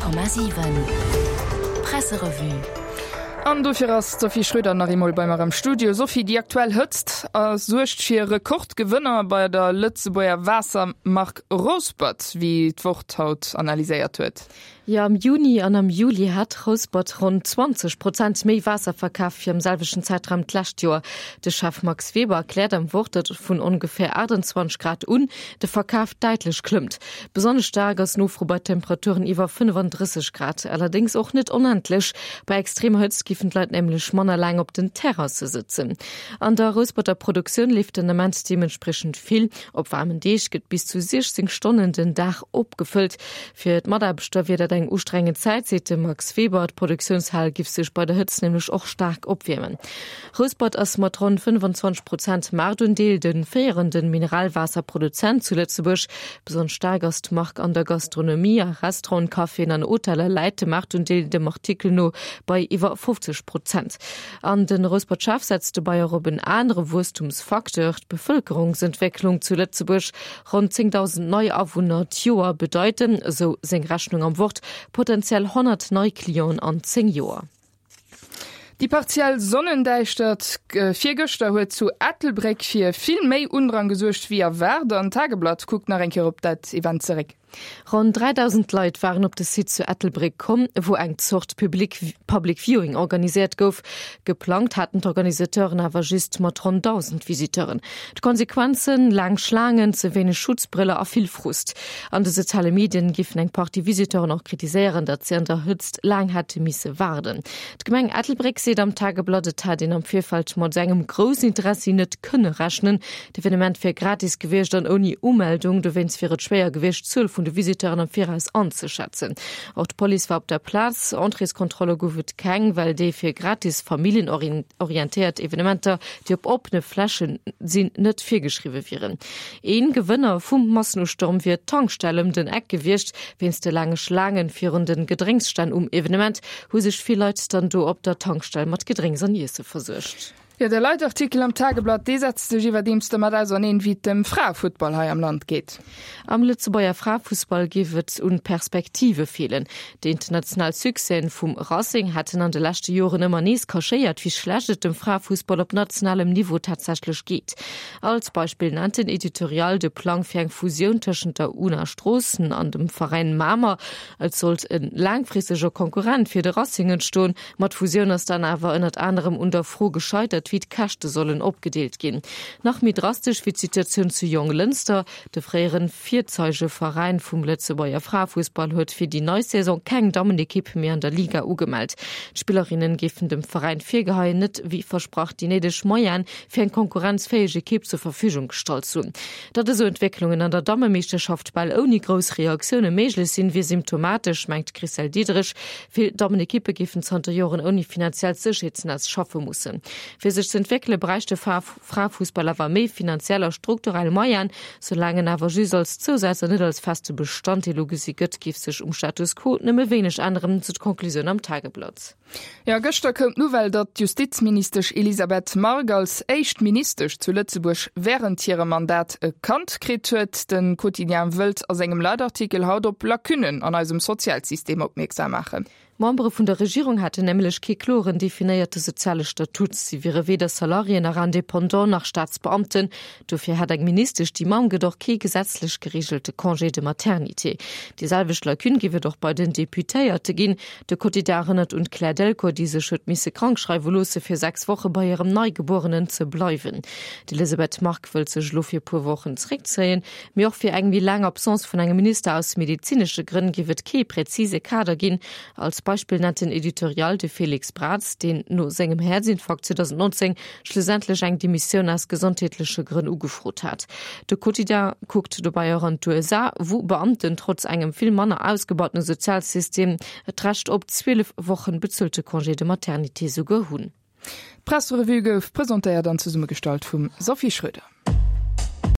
100,7 Presserevue. An dofir ass d'Sophie Schröder nach eemol bei mer am Studio. Sophie, déi aktuell Hëtzt suergt fir Rekordgewënner bei der Lëtzebuerger Waassermark Rouspert, wéi d'Wort haut analyséiert huet. Jo, am Juni an am Juli hat Rouspert ronn 20 Prozent méi Waasser verkaf wéi am selwechten Zäitraum d'lescht Joer. De Chef Max Weber erkläert am Wort, datt vun ongeféier 28 Grad un de Verkaf däitlech klëmmt. Besonnesch staark ass d'Nofro bei Temperaturen iwwer 35 Grad, allerdéngs och net onendlech. Bei extremer Hëtzt giffen d'Leit nämlech manner laang op den Terrasse sëtzen. An der Rousperter Produktioun leeft den Ament deementspriechend vill. Op waarmen Deeg gëtt bis zu 16 Stonnen den Dag opgefëllt. Fir d'Mataarbechter wier dat eng ustrengend Zäit, seet de Max Weber. D'Produktiounshal giff sech bei der Hëtzt nämlech och staark opwiermen. Rouspert ass mat ronn 25 Prozent Maartundeel de féierende Mineralwaasserproduzent zu Lëtzebuerg. Besonnesch staark ass d'Mark an der Gastronomie. A Restauranten, Caféen an Hoteller läit de Maartundeel dem Artikel no bei iwwer 50 Prozent. An de Rouspert-Chef setzt dobäi och op en anere Wuesstumsfacteur, d'Bevëlkerungsentwécklung zu Lëtzebuerg. Ronn 10.000 nei Awunner d'Joer bedeiten, esou seng Rechnung am Wort, potenziell 100 nei Clienten an 10 Joer. Déi partiell Sonnendäischtert virgëschter huet zu Ettelbréck fir vill méi Undrang gesuergt wéi erwaart an d'Tageblatt kuckt nach eng Kéier op dat Event zeréck. Ronn 3.000 Leit waren op de Site zu Ettelbréck komm, wou eng Zort Public Public Viewing organiséiert gouf. Geplangt haten d'Organisateuren awer just mat ronn 1.000 Visiteuren. D'Konsequenzen, laang Schlaangen, ze wéineg Schutzbrëller a vill Frust. An de soziale Medien giffen eng Partie Visiteuren och kritiséieren, datt si an der Hëtzt laang hätte misse waarden. D'Gemeng Ettelbréck seet am Tageblatt, et hätt een am Virfeld mat esou engem groussen Interessi net kënne rechnen. D'Evenement wier gratis gewiescht an ouni Umeldung, dowéinst wier et schwéier gewiescht, d'Zuel vun de Visiteuren am Viraus anzeschätzen. Och d'Police war op der Plaz. Entréeskontrolle gouf et keng, well déi fir gratis familljenorientéiert Evenementer, déi op oppene Fläche sinn, net virgeschriwwe wieren. Een Gewënner vum Massenustorm wier d'Tankstell ëm den Eck gewiescht. Wéinst de laange Schlaangen virun de Gedrénksstänn um Evenement hu sech vill Leit dann do op der Tankstell mat Gedrénks an Iesse versuergt. Jo, de Leitartikel am Tageblatt, dee setzt sech iwwerdeems domat auserneen, wéi et dem Fraefuttball hei am Land geet. Am Lëtzebuerger Fraefussball géif et un Perspektive feelen. Déi international Succèsen vum Racing hätten an de leschte Joren ëmmer nees cachéiert, wéi schlecht et dem Fraefussball op nationalem Niveau tatsächlech geet. Als Beispill nennt den Editorial de Plang fir eng Fusioun tëschent der una Stroossen an dem Veräin Mamer. Et sollt e laangfristege Konkurrent fir de Racing entstoen, Ma d'Fusioun ass dann awer ënnert anerem un der Fro gescheitert, wéi d'Käschte sollen opgedeelt ginn. Nach méi drastesch wéi d'Situatioun zu Jonglënster. De fréiere Virzeigeveräin vum Lëtzebuerger Fraefussball huet fir déi nei Saison keng Dammenekipp méi an der Liga ugemellt. D'Spillerinne géifen dem Veräin virgeheien, net wéi versprach déi néideg Moyene fir eng konkurrenzfäeg Ekipp zur Verfügung gestallt ze hunn. Datt esou Entwécklungen an der Dammemeeschterschaft bal ouni grouss Reaktioune méiglech sinn, wier symptomatesch, mengt d'Christelle Diederich. Vill Dammenekippe géifen zanter Joren ouni finanziellt Sécherheetsnetz schaffe mussen. Fir sech z'entwéckele bräicht de Fraefussball awer méi finanziell a strukturell Moyenen. Soulaang en awer just als Zousaz an net als feste Bestanddeel ugesi gëtt, géif sech um Status quo nëmme wéineg änneren, sou d'Conclusioun am Tageblatt. Jo, gëschter koum d'Nouvelle, datt d'Justizministesch Elisabeth Margue als éischt Ministesch zu Lëtzebuerg wärend hirem Mandat e Kand kritt huet. De Quotidien wëllt a sengem Leitartikel haut op Lacunnen an eisem Sozialsystem opmierksam maachen. D'Membere vun der Regierung hätten nämlech kee kloren definéierte soziale Statut. Si wiere weder Salariéen nach Indépendant nach Staatsbeamten. Dofir hätt eng Ministesch, déi Mamm gëtt, och kee gesetzlech gereegelte Congé de maternité. Déi selwecht Lacune géif et och bei den Deputéierte ginn. De Quotidien erënnert un d'Claire Delcourt, déi sech huet misse krank schreiwe loosse fir 6 Woche bei hirem Neigebuerenen ze bleiwen. D'Elisabeth Margue wëllt sech elo fir e puer Wochen zeréckzéien. Mee och fir eng méi laang Absence vun engem Minister aus medezinesche Grënn géif et kee präzise Kader ginn. Als Beispill nennt den Editorial de Félix Braz, deen no sengem Häerzinfarkt 2019 schlussendlech eng Demissioun aus gesondheetleche Grënn ugefrot hat. De Quotidien kuckt dobäi och an d'USA, wou Beamten trotz engem vill manner ausgebautene Sozialsystem d'Recht op 12 Wochen bezuelte Congé de maternité souguer hunn. D'Presserevue gouf presentéiert an zesummegestallt vum Sophie Schröder.